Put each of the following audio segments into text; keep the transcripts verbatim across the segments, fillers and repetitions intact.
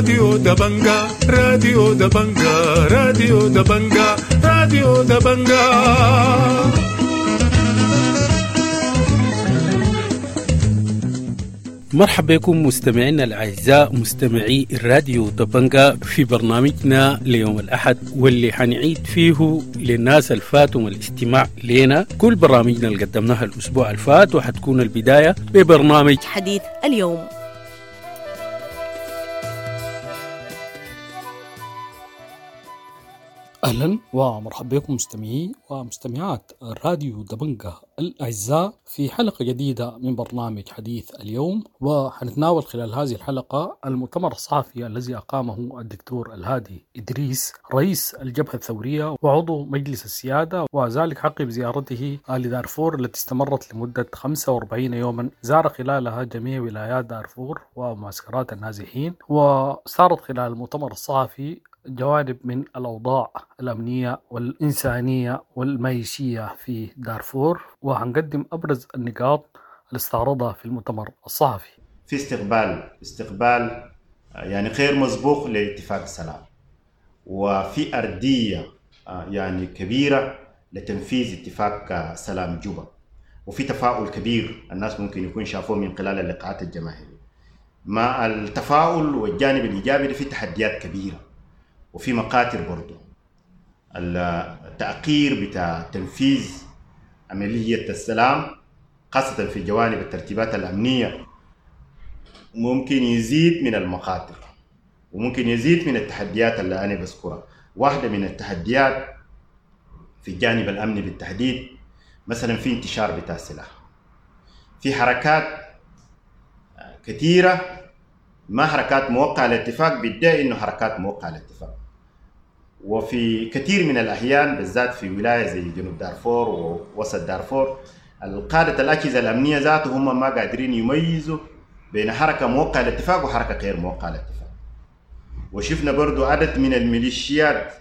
راديو دبنجا راديو دبنجا راديو دبنجا راديو دبنجا. مرحبا بكم مستمعينا الأعزاء مستمعي الراديو دبنجا في برنامجنا ليوم الأحد، واللي حنعيد فيه للناس الفاتهم الاستماع لنا كل برامجنا اللي قدمناها الأسبوع الفات، وحتكون البداية ببرنامج حديث اليوم. أهلا ومرحبا بكم مستمعي ومستمعات راديو دبنجا الأعزاء في حلقة جديدة من برنامج حديث اليوم، وحنتناول خلال هذه الحلقة المؤتمر الصحفي الذي أقامه الدكتور الهادي إدريس رئيس الجبهة الثورية وعضو مجلس السيادة، وذلك عقب زيارته لدارفور التي استمرت لمدة خمسة وأربعين يوما، زار خلالها جميع ولايات دارفور ومعسكرات النازحين، واستعرض خلال المؤتمر الصحفي جوانب من الأوضاع الأمنية والإنسانية والمعيشية في دارفور، وهنقدم أبرز النقاط اللي استعرضها في المؤتمر الصحفي. في استقبال استقبال يعني غير مسبوق لاتفاق السلام، وفي أرضية يعني كبيرة لتنفيذ اتفاق سلام جوبا، وفي تفاؤل كبير الناس ممكن يكون شافوه من خلال اللقاءات الجماهيرية. مع التفاؤل والجانب الإيجابي في تحديات كبيرة وفي مقاتل برضو. التأخير بتاع تنفيذ عملية السلام خاصة في جوانب الترتيبات الأمنية ممكن يزيد من المخاطر وممكن يزيد من التحديات اللي أنا بذكرها. واحدة من التحديات في الجانب الأمني بالتحديد مثلا في انتشار بتاع السلاح، في حركات كثيرة ما حركات موقعة للاتفاق بيدعي إنه حركات موقعة للاتفاق، وفي كثير من الأحيان بالذات في ولاية زي جنوب دارفور ووسط دارفور القادة الأجهزة الأمنية ذاته هم ما قادرين يميزوا بين حركة موقعة للاتفاق وحركة غير موقعة للاتفاق. وشفنا برضو عدد من الميليشيات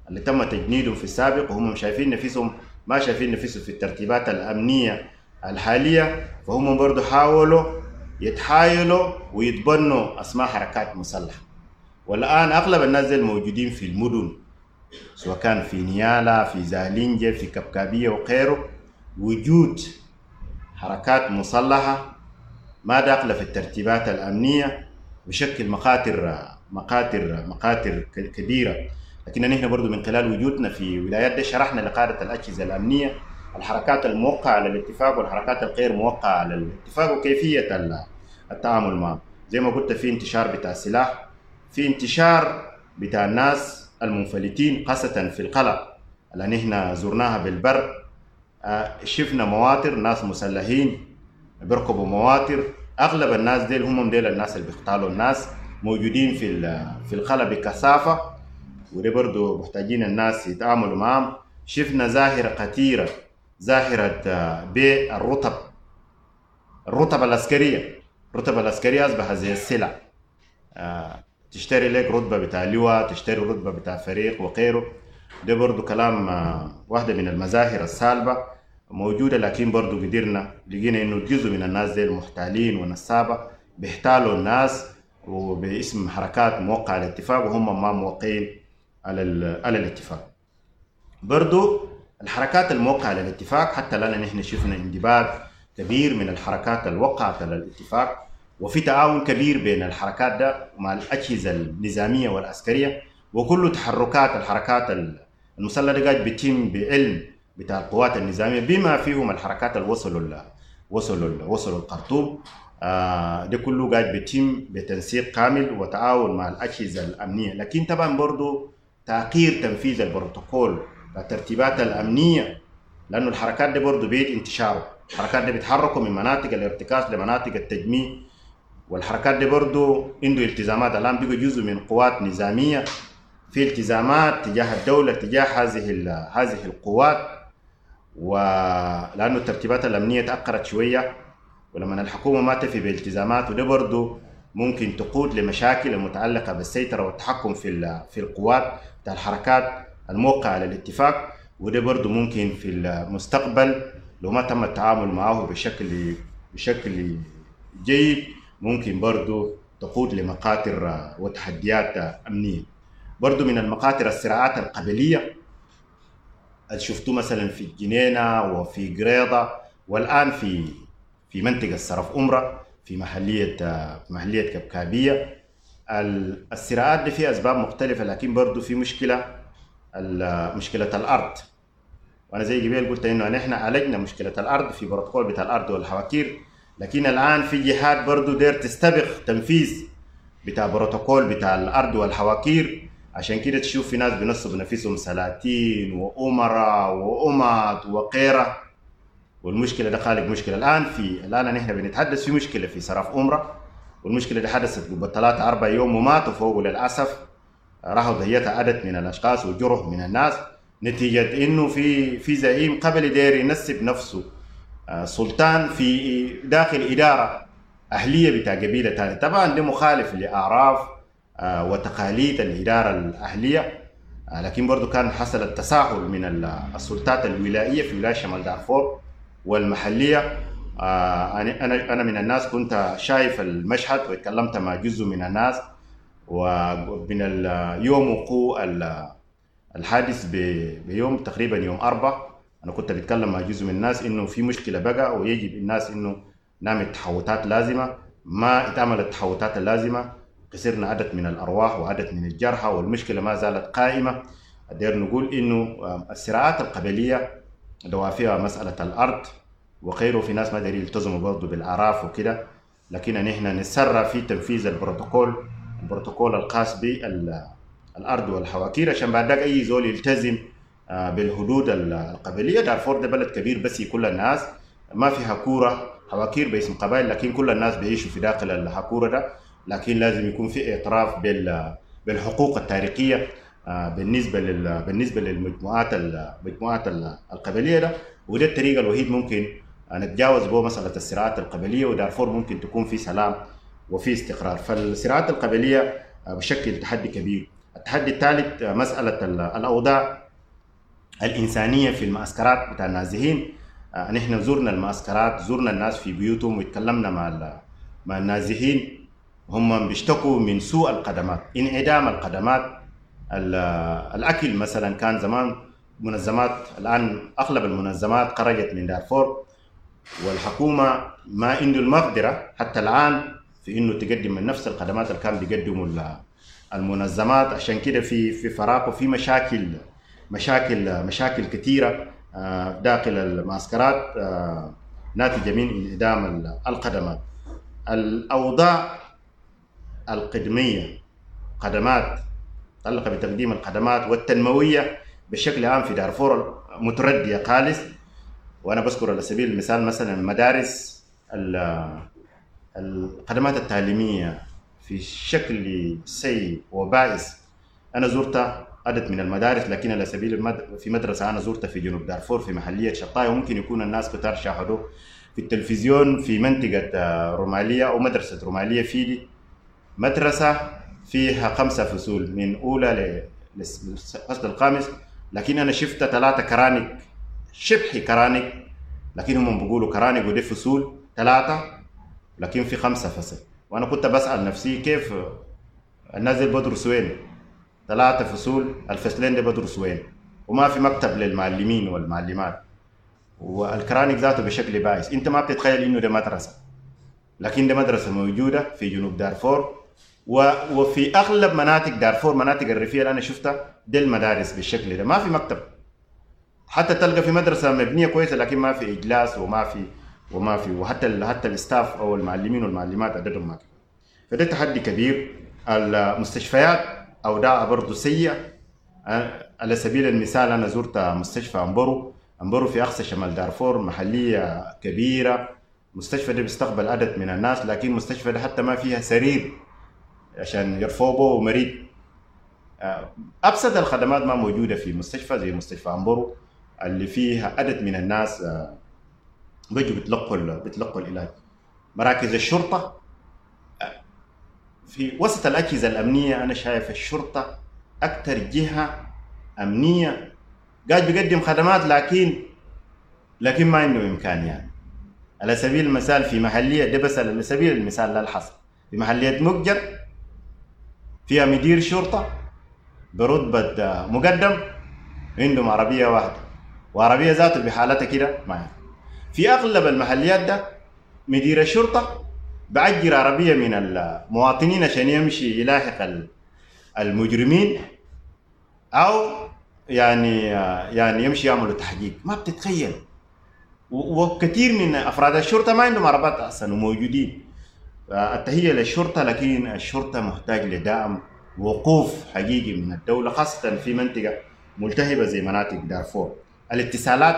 اللي تم تجنيدهم في السابق وهم شايفين نفسهم ما شايفين نفسهم في الترتيبات الأمنية الحالية، فهم برضو حاولوا يتحايلوا ويتبنوا أسماء حركات مسلحة. والآن أغلب الناس الموجودين في المدن سواء كان في نيالا في زالينجة في كبكابية وغيره وجود حركات مسلحة ما داخلة في الترتيبات الأمنية بشكل مخاطر مخاطر مخاطر كبيرة. لكن نحن برضو من خلال وجودنا في ولايات دي شرحنا لقادة الأجهزة الأمنية الحركات الموقعة على الاتفاق والحركات الغير موقعة على الاتفاق وكيفية التعامل معه. زي ما قلت في انتشار بتاع السلاح، في انتشار بتاع الناس المنفلتين خاصة في القلع اللي نحن زرناها بالبر. شفنا مواطر ناس مسلحين بيركبوا مواطر، أغلب الناس ديل هم ديل الناس اللي بيقتالوا الناس موجودين في في القلع بكثافة، وده برضو محتاجين الناس يتعاملوا معهم. شفنا ظاهرة خطيرة، ظاهرة بيع الرتب، الرتب العسكرية. الرتب العسكرية أصبحت زي السلع، تشتري لك رتبة بتاع لواء، تشتري رتبة بتاع فريق وغيره. ده برضو كلام واحدة من المظاهر السالبة موجودة، لكن برضو قدرنا لقينا إنه جزء من الناس دي المحتالين والنصابة بيحتالوا الناس وباسم حركات موقعة على الاتفاق وهم ما موقعين على على الاتفاق. برضو الحركات الموقعة على الاتفاق حتى الآن نحن شفنا اندباط كبير من الحركات الوقعت على الاتفاق، وفي تعاون كبير بين الحركات ده مع الأجهزة النظامية والعسكرية، وكل تحركات الحركات المسلحة قاعد بتتم بعلم بتاع القوات النظامية بما فيهم الحركات اللي وصلوا وصلوا وصلوا الخرطوم. آه ده كله قاعد بيتم بتنسيق كامل وتعاون مع الأجهزة الأمنية. لكن طبعا برضو تأخير تنفيذ البروتوكول الترتيبات الأمنية، لأنه الحركات دي برضو بيد انتشاره، الحركات دي بيتحركوا من مناطق الارتكاز لمناطق التجميع، والحركات دي برضو عنده التزامات. الآن بقوا جزء من قوات نظامية، في التزامات تجاه الدولة تجاه هذه هذه القوات، ولأنه الترتيبات الأمنية تأخرت شوية، ولما الحكومة ما تفي بالتزامات وده برضو ممكن تقود لمشاكل المتعلقة بالسيطرة والتحكم في في القوات بتاع الحركات الموقعة على الاتفاق، وده برضو ممكن في المستقبل لو ما تم التعامل معه بشكل بشكل جيد ممكن برضو تقود لمخاطر وتحديات أمنية. برضو من المخاطر الصراعات القبلية اللي شفتوه مثلا في الجنينة وفي قريضة، والآن في في منطقة صرف أمرة في محلية محلية كبكابية. الصراعات دي فيها أسباب مختلفة، لكن برضو في مشكلة، مشكلة الأرض. وأنا زي قبل قلت إنه نحن عالجنا مشكلة الأرض في بروتوكول بتاع الأرض والحواكير، لكن الآن في جهات برضو دير تستبق تنفيذ بتاع بروتوكول بتاع الأرض والحواكير. عشان كده تشوف في ناس بينصبوا نفسهم سلاطين وأمراء وأمات وغيره، والمشكلة ده خالق مشكلة. الآن في الآن نحن بنتحدث في مشكلة في صرف أمرة، والمشكلة دي حدثت قبل ثلاثة أربع يوم وماتوا فوق للأسف، راحوا ضحيتها عدد من الأشخاص وجرح من الناس، نتيجة إنه في في زعيم قبل داير ينسب نفسه سلطان في داخل إدارة أهلية بتاع قبيلة ثانية. طبعا ده مخالف لأعراف وتقاليد الإدارة الأهلية، لكن برضو كان حصل التساهل من السلطات الولائية في ولاية شمال دارفور والمحلية. أنا أنا من الناس كنت شايف المشهد واتكلمت مع جزء من الناس، ومن اليوم وقوع الحادث بيوم تقريبا يوم أربعة أنا كنت بتكلم مع جزء من الناس إنه في مشكلة بقى، ويجب الناس إنه نعمل تحوطات لازمة. ما اتعملت التحوطات اللازمة، خسرنا عدد من الأرواح وعدد من الجرحى، والمشكلة ما زالت قائمة. دير نقول إنه الصراعات القبلية دوافعها مسألة الأرض وغيره، في ناس ما دارين يلتزموا برضه بالأعراف وكده، لكن نحن نسرع في تنفيذ البروتوكول البروتوكول الخاص بالأرض والحواكير، عشان بعد ذاك أي زول يلتزم بالحدود القبلية. دارفور ده بلد كبير بس كل الناس ما في حكورة حواكير باسم قبائل، لكن كل الناس بيعيشوا في داخل الحكورة ده، لكن لازم يكون في اعتراف بالحقوق التاريخية بالنسبة لل بالنسبة للمجموعات المجموعات القبلية ده، وده الطريقة الوحيد ممكن نتجاوز به مسألة الصراعات القبلية، ودارفور ممكن تكون في سلام وفي استقرار. فالصراعات القبلية بشكل تحدي كبير. التحدي الثالث مسألة الأوضاع الإنسانية في المعسكرات بتاع النازحين. نحن زرنا المعسكرات، زرنا الناس في بيوتهم وتكلمنا مع مع النازحين، هم بيشتكوا من سوء الخدمات، انعدام الخدمات. الأكل مثلا كان زمان منظمات، الآن أغلب المنظمات خرجت من دارفور، والحكومة ما عنده المقدرة حتى الآن في إنه تقدم من نفس الخدمات اللي كان بيقدموا المنظمات. عشان كده في في فراغ وفي مشاكل مشاكل مشاكل كثيرة داخل المعسكرات ناتجة من انعدام الخدمات. الأوضاع القدمية، خدمات متعلقة بتقديم الخدمات والتنموية بشكل عام في دارفور متردية خالص. وأنا بذكر على سبيل المثال مثلا المدارس، الخدمات التعليمية في شكل سيء وبائس. أنا زرت عدد من المدارس، لكن على سبيل المد... في مدرسة أنا زرتها في جنوب دارفور في محلية شطاية، وممكن يكون الناس كتار شاهدوه في التلفزيون، في منطقة رومالية أو مدرسة رومالية فيدي، مدرسة فيها خمسة فصول من أولى للفصل الخامس، لكن أنا شفت ثلاثة كرانك، شبه كرانك، لكن هم بيقولوا كرانك ودي فصول ثلاثة، لكن في خمسة فصل. وأنا كنت بسأل نفسي كيف الناس دي بدرس وين؟ ثلاثة فصول، الفصلين دي بدرس وين؟ وما في مكتب للمعلمين والمعلمات، والكرانك ذاته بشكل بائس. أنت ما بتتخيل إنه ده مدرسة، لكن ده مدرسة موجودة في جنوب دارفور وفي أغلب مناطق دارفور، مناطق الريفية اللي أنا شفتها دي المدارس بالشكل ده، ما في مكتب. حتى تلقى في مدرسة مبنية كويسة لكن ما في إجلاس وما في وما في وحتى حتى الاستاف أو المعلمين والمعلمات عددهم ما كفاية. فده تحدي كبير. المستشفيات أوضاعها برضه سيئة. على سبيل المثال أنا زرت مستشفى أمبرو، أمبرو في أقصى شمال دارفور، محلية كبيرة. مستشفى ده بيستقبل عدد من الناس، لكن مستشفى ده حتى ما فيها سرير عشان يرفعوا مريض. أبسط الخدمات ما موجودة في مستشفى زي مستشفى أمبرو اللي فيها عدد من الناس بيجوا بيتلقوا بيتلقوا العلاج. مراكز الشرطة في وسط الأجهزة الأمنية، أنا شايف الشرطة أكثر جهة أمنية قاعد بيقدم خدمات، لكن لكن ما عنده إمكانيات. على سبيل المثال في محلية ده، بس على سبيل المثال لا الحصر، في محلية مقجر فيها مدير شرطة برتبة مقدم عندهم عربية واحدة، وعربية ذاته بحالتها كده ما في أغلب المحليات ده مدير الشرطة بعجر عربية من المواطنين عشان يمشي يلاحق المجرمين أو يعني يعني يمشي يعملوا تحقيق. ما بتتخيل، وكثير من أفراد الشرطة ما عندهم عربات أصلا وموجودين. التحية للشرطة، لكن الشرطة محتاج لدعم وقوف حقيقي من الدولة، خاصة في منطقة ملتهبة زي مناطق دارفور. الاتصالات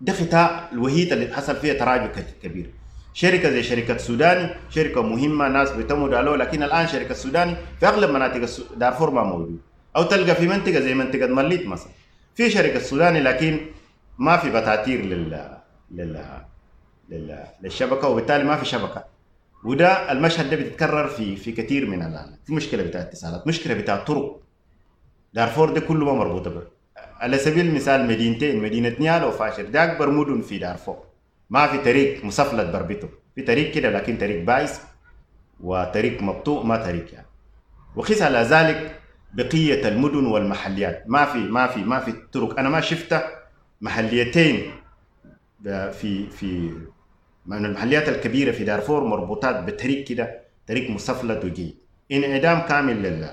ده قطاع الوحيد اللي حصل فيها تراجع كبير. شركة زي شركة سوداني شركة مهمة ناس بيتموا عليها، لكن الآن شركة سوداني في أغلب مناطق دارفور ما موجود، أو تلقى في منطقة زي منطقة مليت مثلا في شركة سوداني لكن ما في بتاتير لل... لل... لل... للشبكة، وبالتالي ما في شبكة. وده المشهد ده بيتكرر في في كثير من الآن. في مشكلة بتاع اتصالات، مشكلة بتاع طرق. دارفور ده كله ما مربوطة به. على سبيل المثال مدينتين، مدينة نيالا وفاشر، ده أكبر مدن في دارفور، ما في طريق مسفلت بربطه، في طريق كده لكن طريق بايس وطريق مبطوء، ما طريق يعني. وقيس على ذلك بقية المدن والمحليات، ما في ما في ما في طرق. أنا ما شفت محليتين في في من المحليات الكبيرة في دارفور مربوطات بطريق كده، طريق مسفلت وجيد. انعدام كامل لل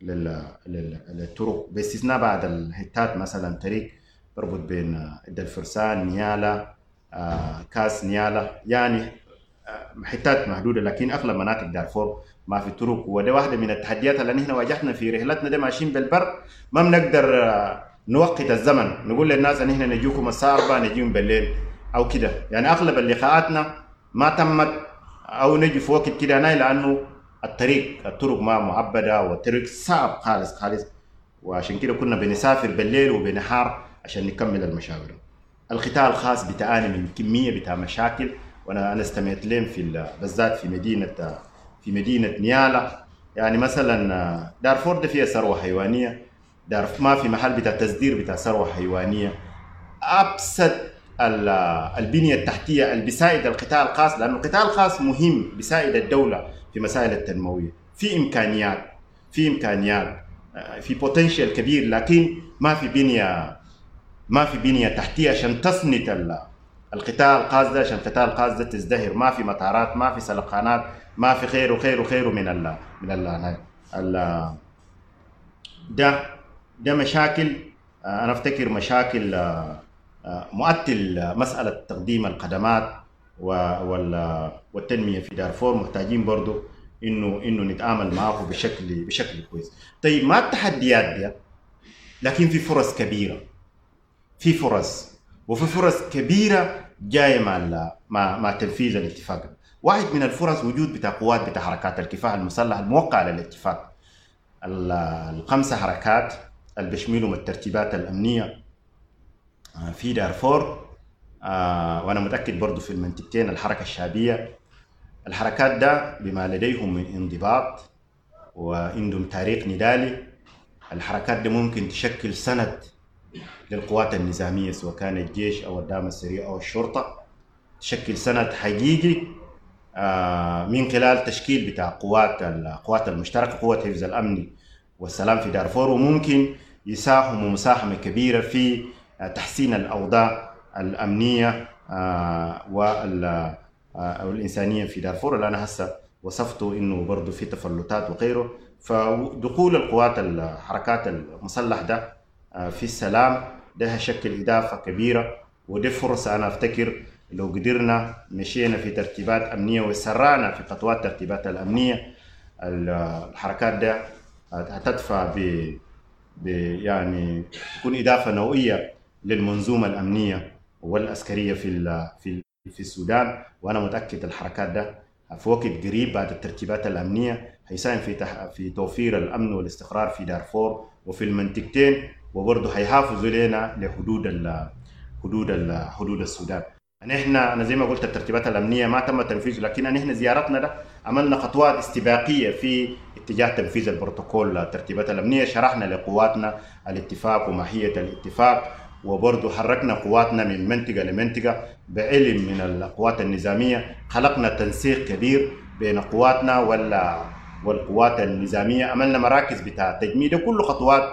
لل للطرق باستثناء بعض الحتات، مثلا طريق بربط بين الفرسان نيالا آه، كاس نيالا، يعني آه، حتات محدودة، لكن اغلب مناطق دارفور ما في طرق. وده واحدة من التحديات اللي نحن واجهتنا في رحلتنا ده، ماشيين بالبر ما بنقدر آه، نوقت الزمن، نقول للناس ان احنا نجيكم الساعة أربعة نجيهم بالليل او كده. يعني اغلب اللقاءاتنا ما تمت او نجي في وقت كده لانه الطريق الطرق ما معبده والطريق صعب خالص خالص، وعشان كده كنا بنسافر بالليل وبنهار عشان نكمل المشاوير. القطاع الخاص بتعاني من كمية بتاع مشاكل، وانا انا استمعت لهم في بالذات في مدينة في مدينة نيالا. يعني مثلا دارفور ده فيها ثروة حيوانية، دار ما في محل بتاع تصدير بتاع ثروة حيوانية. ابسط البنية التحتية اللي بيساعد القطاع الخاص، لانه القطاع الخاص مهم بيساعد الدولة في مسائل التنموية، في امكانيات في امكانيات في بوتنشال كبير، لكن ما في بنيه ما في بنيه تحتيه عشان تسند القطاع الخاص ده، عشان القطاع الخاص ده تزدهر. ما في مطارات، ما في سلقانات، ما في خير وخير وخير من ال من ال ال ده ده مشاكل. انا افتكر مشاكل مؤتل مسالة تقديم الخدمات والتنمية في دارفور، محتاجين برضو انه انه نتعامل معه بشكل بشكل كويس. طيب ما التحديات دي، لكن في فرص كبيرة، في فرص وفي فرص كبيرة جاية مع مع مع تنفيذ الاتفاق. واحد من الفرص وجود بتاع قوات بتاع حركات الكفاح المسلح الموقع على الاتفاق، الخمسة حركات اللي بيشملهم الترتيبات الامنية في دارفور، آه وانا متاكد برضو في المنطقتين الحركة الشعبية. الحركات ده بما لديهم من انضباط وعندهم تاريخ نضالي، الحركات ده ممكن تشكل سند للقوات النظامية سواء كان الجيش او الدعم السريع او الشرطة، تشكل سند حقيقي آه من خلال تشكيل بتاع قوات القوات المشتركة، قوات حفظ الامن والسلام في دارفور، وممكن يساهموا مساهمة كبيرة في تحسين الاوضاع الامنية والانسانية في دارفور، اللي انا هسه وصفته انه برضه في تفلتات وغيره. فدخول القوات الحركات المسلح ده في السلام ده هيشكل اضافه كبيرة، ودي فرصة انا افتكر لو قدرنا مشينا في ترتيبات امنية وسرعنا في خطوات ترتيبات الامنية، الحركات ده هتدفع ب يعني تكون اضافه نوعية للمنظومة الامنية والعسكرية في في في السودان. وانا متاكد الحركات ده في وقت قريب بعد الترتيبات الامنية هيساهم في في توفير الامن والاستقرار في دارفور وفي المنطقتين، وبرضه هيحافظوا لنا لحدود ال حدود ال حدود السودان. نحن انا زي ما قلت الترتيبات الامنية ما تم تنفيذه، لكن نحن زيارتنا ده عملنا خطوات استباقية في اتجاه تنفيذ البروتوكول الترتيبات الامنية، شرحنا لقواتنا الاتفاق وماهيه الاتفاق، وبرضه حركنا قواتنا من منطقة لمنطقة بعلم من القوات النظامية. خلقنا تنسيق كبير بين قواتنا ولا والقوات النظامية، عملنا مراكز بتاع تجميد، كل خطوات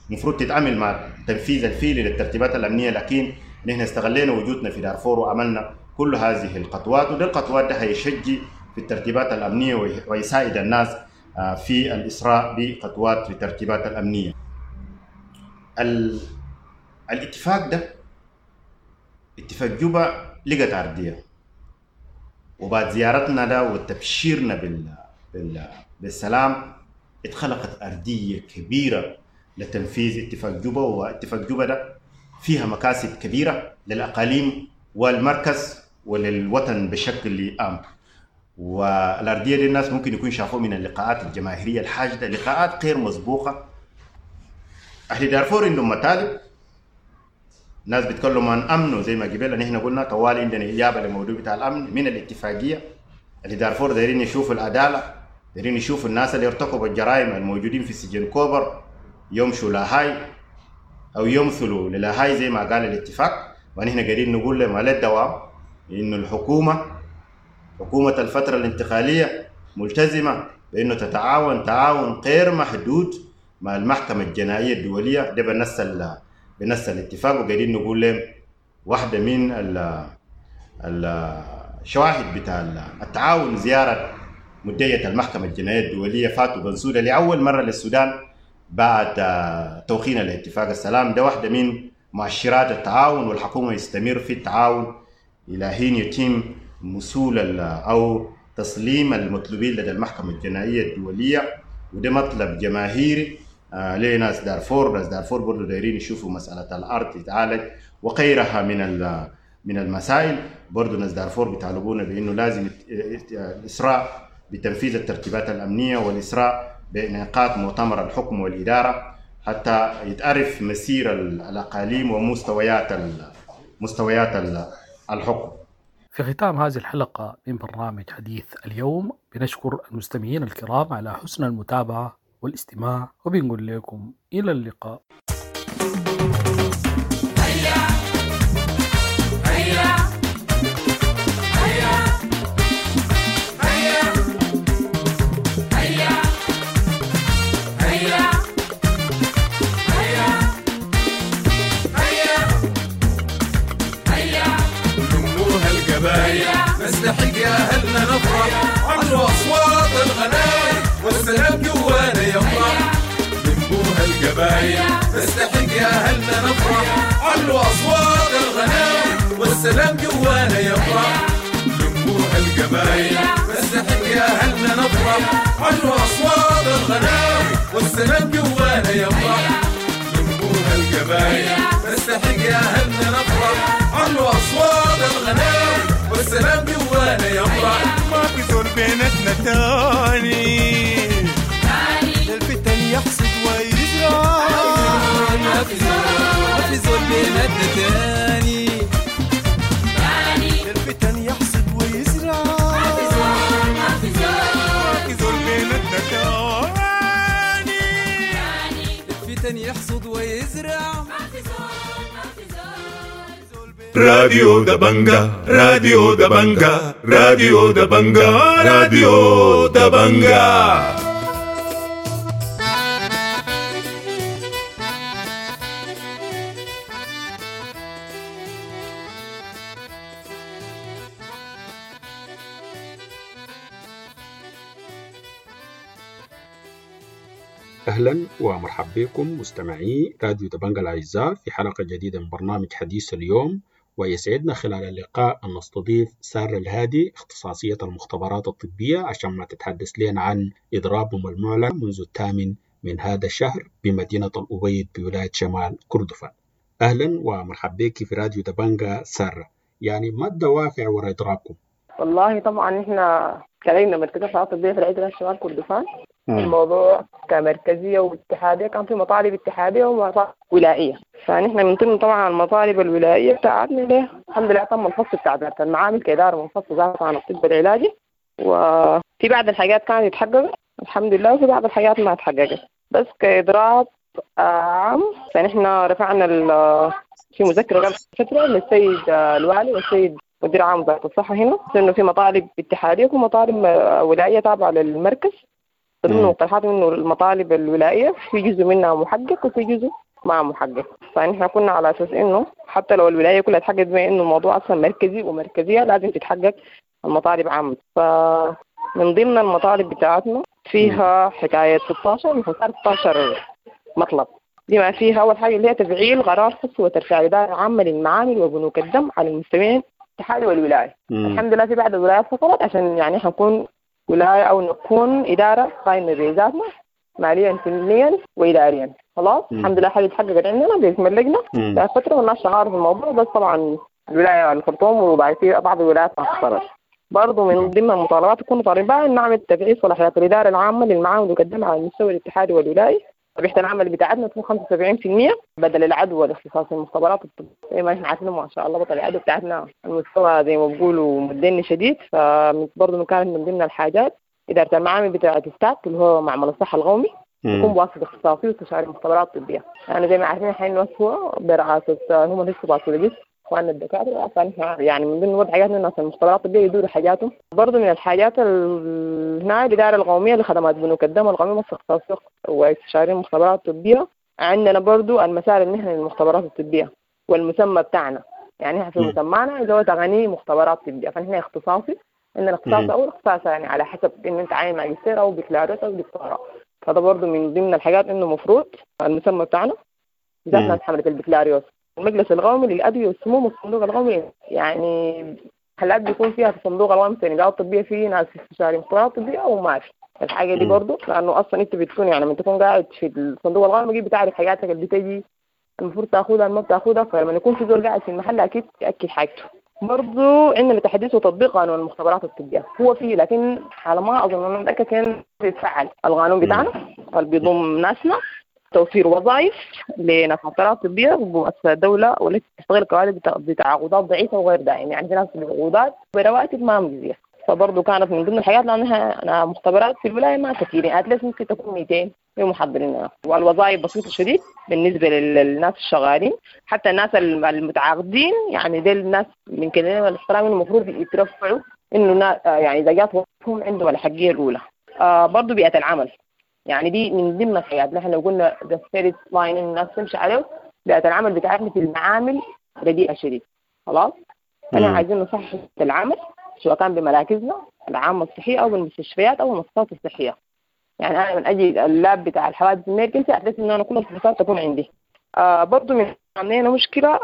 المفروض تتعمل مع التنفيذ الفعلي للترتيبات الأمنية، لكن نحن استغلينا وجودنا في دارفور وعملنا كل هذه الخطوات، وده الخطوات ده هيشجع في الترتيبات الأمنية ويساعد الناس في الإسراء بخطوات في الترتيبات الأمنية. ال... الاتفاق ده اتفاق جوبا لقت أرضية، وبعد زيارتنا ده وتبشيرنا بال... بال... بالسلام اتخلقت أرضية كبيرة لتنفيذ اتفاق جوبا. واتفاق جوبا ده فيها مكاسب كبيرة للأقاليم والمركز وللوطن بشكل عام. والأرضية دي الناس ممكن يكون شافوه من اللقاءات الجماهيرية الحاشدة، لقاءات غير مسبوقة. أهل دارفور عندهم مطالب، ناس بيتكلموا عن أمن، وزي ما قبل نحن قلنا طوال عندنا إجابة للموضوع بتاع الأمن من الاتفاقية. اللي دارفور دايرين يشوفوا العدالة، دايرين يشوفوا الناس اللي ارتكبوا الجرائم الموجودين في سجن كوبر يمشوا لاهاي أو يمثلوا للاهاي زي ما قال الاتفاق. ونحن قاعدين نقول لهم على الدوام إنه الحكومة حكومة الفترة الانتقالية ملتزمة بأنه تتعاون تعاون غير محدود مع المحكمة الجنائية الدولية، ده بنص بنص الاتفاق. وقاعدين نقول لهم واحدة من الشواهد بتاع التعاون زيارة مدية المحكمة الجنائية الدولية فاتو بنسودة لأول مرة للسودان بعد توقيع الاتفاق السلام. ده واحدة من مؤشرات التعاون، والحكومة يستمر في التعاون إلى حين يتم مسول أو تسليم المطلوبين لدى المحكمة الجنائية الدولية. وده مطلب جماهيري آه لناس دارفور. ناس دارفور برضو دايرين يشوفوا مسألة الأرض تتعالج وغيرها من من المسائل. برضو ناس دارفور بيطالبونا بأنه لازم الإسراء بتنفيذ الترتيبات الأمنية والإسراء بإنعقاد مؤتمر الحكم والإدارة حتى يتعرف مسير الأقاليم ومستويات مستويات الحكم. في ختام هذه الحلقة من برنامج حديث اليوم بنشكر المستمعين الكرام على حسن المتابعة والاستماع، وبنقول لكم إلى اللقاء. هيا هيا هيا هيا هيا هيا هيا هيا هيا نموها القبايل نستحق يا أهلنا نفرح، علوا أصوات الغناي والسلام جوانا يفرح. نموها القبايل نستحق يا أهلنا نفرح، علوا أصوات الغناي والسلام جوانا يفرح. نموها القبايل نستحق يا أهلنا نفرح، علوا أصوات الغناي والسلام جوانا يفرح. نموها القبايل نستحق يا أهلنا نفرح، علوا أصوات الغناي والسلام جوانا يفرح. ما في زول بيناتنا تاني الفتن يحصد ويزرع، ما في زول ما في زول بيناتنا تاني الفتن يحصد ويزرع، ما في زول ما في زول ما في زول بيناتنا تاني الفتن يحصد ويزرع. ما في زول ما في زول. راديو دبنجا، راديو دبنجا، راديو دبنجا، راديو دبنجا. أهلا ومرحبا بكم مستمعي راديو دبنجا الأعزاء في حلقة جديدة من برنامج حديث اليوم، ويسعدنا خلال اللقاء أن نستضيف سارة الهادي اختصاصية المختبرات الطبية عشان ما تتحدث لنا عن إضرابهم المعلن منذ الثامن من هذا الشهر بمدينة الأبيض بولاية شمال كردفان. أهلا ومرحبا بك في راديو دبنجا سارة، يعني ما الدوافع وراء إضرابكم؟ والله طبعا احنا كلجنة مركزية الطبية في العدل شمال كردفان الموضوع كمركزية واتحادية كان في مطالب اتحادية ومطالب ولائية، فنحن من ضمن طبعا المطالب الولائية بتاعتنا ليه الحمد لله تم الفصل بتاع إدارة المعامل كإدارة منفصلة ذاتها عن الطب العلاجي، وفي بعض الحاجات كانت اتحققت الحمد لله وفي بعض الحاجات ما اتحققت، بس كإضراب عام. فنحن رفعنا في مذكرة قبل فترة للسيد الوالي والسيد مدير عام وزارة الصحة هنا إنه في مطالب اتحادية ومطالب ولائية تابعة للمركز. ضمن مقترحات إنه المطالب الولائية في جزء منها محقق وفي جزء ما محقق. فنحن كنا على أساس إنه حتى لو الولاية كلها تحقق، بما إنه الموضوع أصلا مركزي ومركزية لازم تتحقق المطالب عامة. فمن ضمن المطالب بتاعتنا فيها حكاية ستاشر من ستاشر مطلب، بما فيها أول حاجة اللي هي تفعيل قرار فصل وترفيع الإدارة العامة للمعامل وبنوك الدم على المستويين الاتحادي والولاية. الحمد لله في بعض الولايات فصلت عشان يعني حنكون ولاية أو نكون إدارة قائمة بذاتنا ماليا فنيا وإداريا. خلاص الحمد لله حاجة اتحققت عندنا باسم اللجنة فترة والناس شغالة في الموضوع، بس طبعا الولاية الخرطوم وبعد بعض الولايات ما حصلت. برضه من ضمن المطالبات تكون طالبة إن نعمل تفعيل صلاحيات الإدارة العامة للمعامل وقدمها على المستوى الاتحادي والولائي. ربحة العمل بتاعتنا تكون خمسة وسبعين بالمية بدل العدوى الاختصاصي المختبرات الطبية. زي ما احنا عارفين ما شاء الله بطل العدوى بتاعتنا المستوى زي ما بيقولوا مدني شديد. فبرضه كانت من ضمن الحاجات إدارة المعامل بتاعة ستاك اللي هو معمل الصحة القومي يكون بواسطة اختصاصي واستشاري مختبرات طبية. يعني زي ما عارفين الحين هو برئاسة هم لسه باثولوجيست اخواننا الدكاترة. فنحن يعني من ضمن وضع حاجاتنا الناس المختبرات الطبية يدوروا حاجاتهم. برضه من الحاجات هنا الإدارة القومية لخدمات بنوك الدم القومية مصر اختصاصي واستشاري المختبرات الطبية. عندنا برضه المسار المهني للمختبرات الطبية والمسمى بتاعنا، يعني احنا في مسمانا اللي هو تغني مختبرات طبية. فنحن اختصاصي، عندنا اختصاص أو اختصاص يعني على حسب إن أنت عاين ماجستير أو بكالوريوس أو دكتوراه. فده برضه من ضمن الحاجات إنه مفروض المسمى بتاعنا بالذات ناس حملة البكالوريوس. المجلس القومي للأدوية والسموم والصندوق القومي، يعني حالات بيكون فيها في الصندوق القومي النقاط الطبية في ناس استشاري مختبرات طبية أو ما في الحاجة دي برضه، لأنه أصلا أنت بتكون يعني لما تكون قاعد في الصندوق القومي بتعرف حاجاتك اللي بتجي المفروض تاخدها ما بتاخدها. فلما يكون في زول قاعد في المحل أكيد يأكد حاجته. برضه عندنا تحديث وتطبيق قانون المختبرات الطبية هو فيه، لكن على ما أظن أنا متأكد كان يتفعل القانون بتاعنا اللي بيضم ناسنا توفير وظائف لناس مختبرات طبية ومؤسسات الدولة والتي تشتغل كوادر بتعاقدات ضعيفة وغير دائمة، يعني في ناس بعقودات برواتب ما مجزية. فبرضه كانت من ضمن الحاجات لأنها أنا مختبرات في الولاية ما كثيرين، أتلس ممكن تكون مئتين محضرين، والوظائف بسيطة شديد بالنسبة للناس الشغالين. حتى الناس المتعاقدين يعني دي الناس من كلمة الاحترام المفروض يترفعوا إنه يعني إذا جات وظيفتهم عندهم الحقية الأولى. آه برضه بيئة العمل، يعني دي من ضمن الحاجات نحن لو قلنا the first line الناس تمشي عليه. بيئة العمل بتاعتنا في المعامل رديئة شديد. خلاص أنا عايزين نصحح العمل سواء كان بمراكزنا العامة الصحية أو بالمستشفيات أو المؤسسات الصحية. يعني أنا من أجل ال lab بتاع الحوادث ال emergency أحس إنه أنا كل الفحوصات تكون عندي. آه برضو من عندنا مشكلة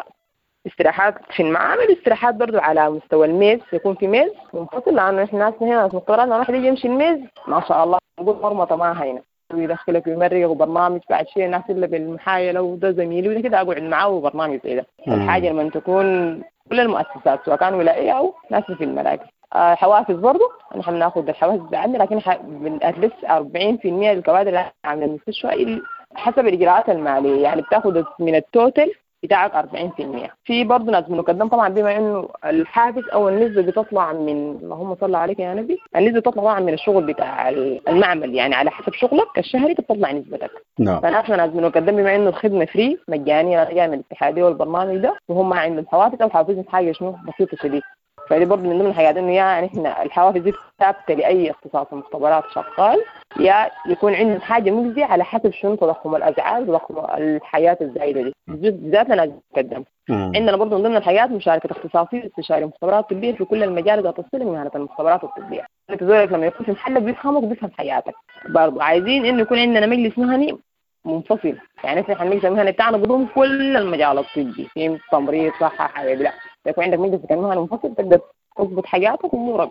استراحات في المعامل، استراحات برضو على مستوى الميز، يكون في ميز منفصل، لأنه إحنا ناسنا هنا ناس مختبرات لما واحد يجي يمشي الميز ما شاء الله نقول مرمطة ما هنا ويدخلك ويمرق وبرنامج بعد شيء الناس إلا بالمحايلة وده زميلي وده كده أقعد معاه وبرنامج زي ده. الحاجة لما تكون كل المؤسسات سواء كان ولائية أو ناس في المراكز. آه حوافز برضو نحن بناخد الحوافز بتاعتنا، لكن at least أربعين بالمية للكوادر اللي عند المستشفى حسب الإجراءات المالية، يعني بتاخد من ال total بتاعك أربعين بالمية. في برضه ناس بنقدم طبعا بما انه الحافز او النسبة بتطلع من اللهم صل عليك يا نبي، النسبة بتطلع طبعا من الشغل بتاع المعمل، يعني على حسب شغلك الشهري بتطلع نسبتك. نعم. فنحن ناس بنقدم بما انه الخدمة free مجانية جاية من الاتحادية والبرنامج ده، وهم عندهم حوافز او حوافز حاجة شنو بسيطة شديد. فدي برضه من ضمن الحاجات انه يا نحن الحوافز دي ثابتة لاي اختصاص مختبرات شغال، يا يكون عندهم حاجة مجزية على حسب شنو تضخم الاسعار وتضخم الحياة الزايدة دي بالذات لنا نتقدم. عندنا برضه من ضمن الحاجات مشاركة اختصاصي واستشاري مختبرات طبية في كل المجال ذات الصلة بمهنه المختبرات الطبية. انت زولك لما يكون في محلك بيفهمك وبيفهم حياتك. برضه عايزين انه يكون عندنا مجلس مهني منفصل، يعني احنا المجلس المهني بتاعنا بيضم كل المجال الطبي في تمريض صحة حاجة، لا يكون عندك مجلس مهني منفصل تقدر تضبط حاجاتك وامورك.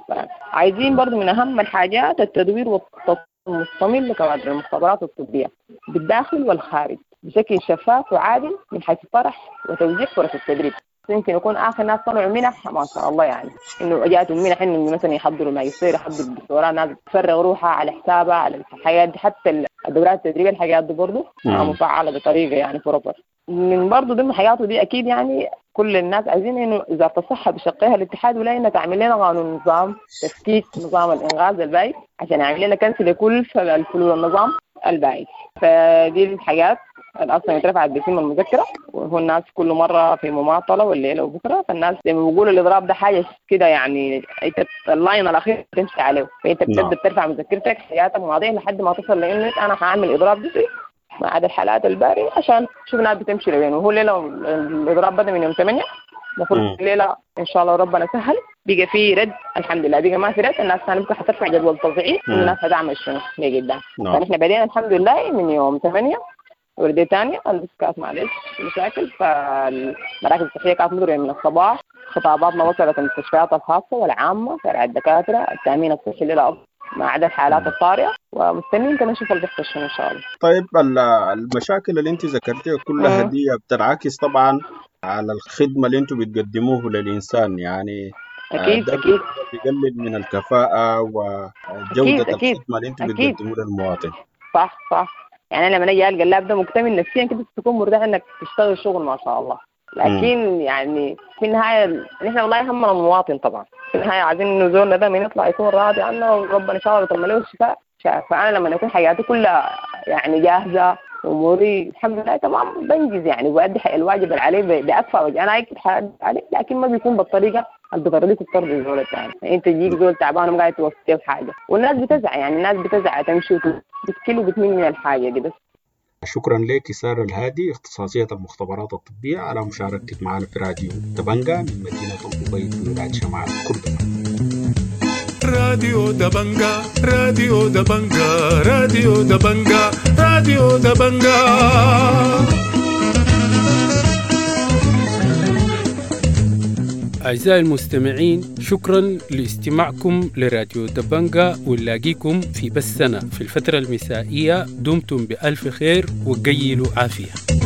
عايزين برضه من اهم الحاجات التدوير والتطوير المستمر لكوادر المختبرات الطبية بالداخل والخارج بشكل شفاف وعادل من حيث الطرح وتوزيع فرص التدريب. يمكن يكون اخر ناس طلعوا منح ما شاء الله، يعني انه جاتهم منح انه مثلا يحضروا ماجستير يحضروا الدكتوراه، ناس تفرغ روحها على حسابها على الحياة دي، حتى الدورات التدريبية الحاجات دي برضه مفعله بطريقة يعني proper. من برضه ضمن حياته دي اكيد يعني كل الناس عايزين انه وزارة الصحة بشقها الاتحاد ولا انها تعمل لنا قانون نظام تفكيك نظام الانغاز البائد عشان يعمل لنا cancel لكل الفلول النظام البائد. فدي الحاجات اصلا اترفعت باسم المذكرة، وهو الناس كل مرة في مماطله والليلة وبكره، فالناس زي ما بيقولوا الاضراب ده حاجة كده يعني انت ال line الاخير تمشي عليه، فانت بتبدا ترفع مذكرتك حياتك مواضيع لحد ما تصل لانه انا هعمل اضراب جزئي ما عدا الحالات الباريه عشان شوف الناس بتمشي لوين. وهو الليلة الاضراب بدا من يوم ثمانية، المفروض الليلة ان شاء الله ربنا سهل بقى في رد الحمد لله، بقى ما في رد الناس ثاني بكره حترفع جدول تصعيد والناس هتعمل شنو لقدام. فنحن بدينا الحمد لله من يوم ثمانية وردية ثانية بس كانت معلش مشاكل، فالمراكز الصحية كانت مضربة من الصباح، خطاباتنا وصلت المستشفيات الخاصة والعامة، فرع الدكاترة، التأمين الصحي للأفضل ما عدا الحالات الطارئة، ومستنيين كمان نشوف اللي بيحصل شنو إن شاء الله. طيب المشاكل اللي أنت ذكرتيها كلها دي بتنعكس طبعا على الخدمة اللي أنتم بتقدموه للإنسان، يعني أكيد ده أكيد بيقلل من الكفاءة وجودة أكيد أكيد الخدمة اللي أنتم أكيد بتقدموه للمواطن. صح صح، يعني أنا لما أجي ألقى اللاعب ده مكتمل نفسيا كده تكون مرتاح إنك تشتغل شغل ما شاء الله، لكن يعني في النهاية نحن والله همنا المواطن طبعا، في النهاية عايزين إنه زولنا ده من يطلع يكون راضي عنا وربنا إن شاء الله يتم له الشفاء. فأنا لما يكون حياتي كلها يعني جاهزة وأموري الحمد لله تمام بنجز يعني وأدي الواجب اللي عليه بأكفأ وجه، أنا أكيد حأدي عليه لكن ما بيكون بالطريقة اللي بترضيك وبترضي الزول الثاني. أنت تجيك زول تعبان وما قاعد توفي حاجة، والناس بتزعل يعني الناس بتزعل تمشي وتتكل وبتمل من الحاجة دي بس. شكرا لك سارة الهادي اختصاصية المختبرات الطبية على مشاركتك معنا في راديو دبنجا من مدينة الأبيض بولاية شمال كردفان. راديو دبنجا راديو دبنجا راديو دبنجا راديو دبنجا. أعزائي المستمعين، شكرا لاستماعكم لراديو دبنجا، ونلاقيكم في بثنا في الفترة المسائية. دمتم بألف خير وقيلوا عافية.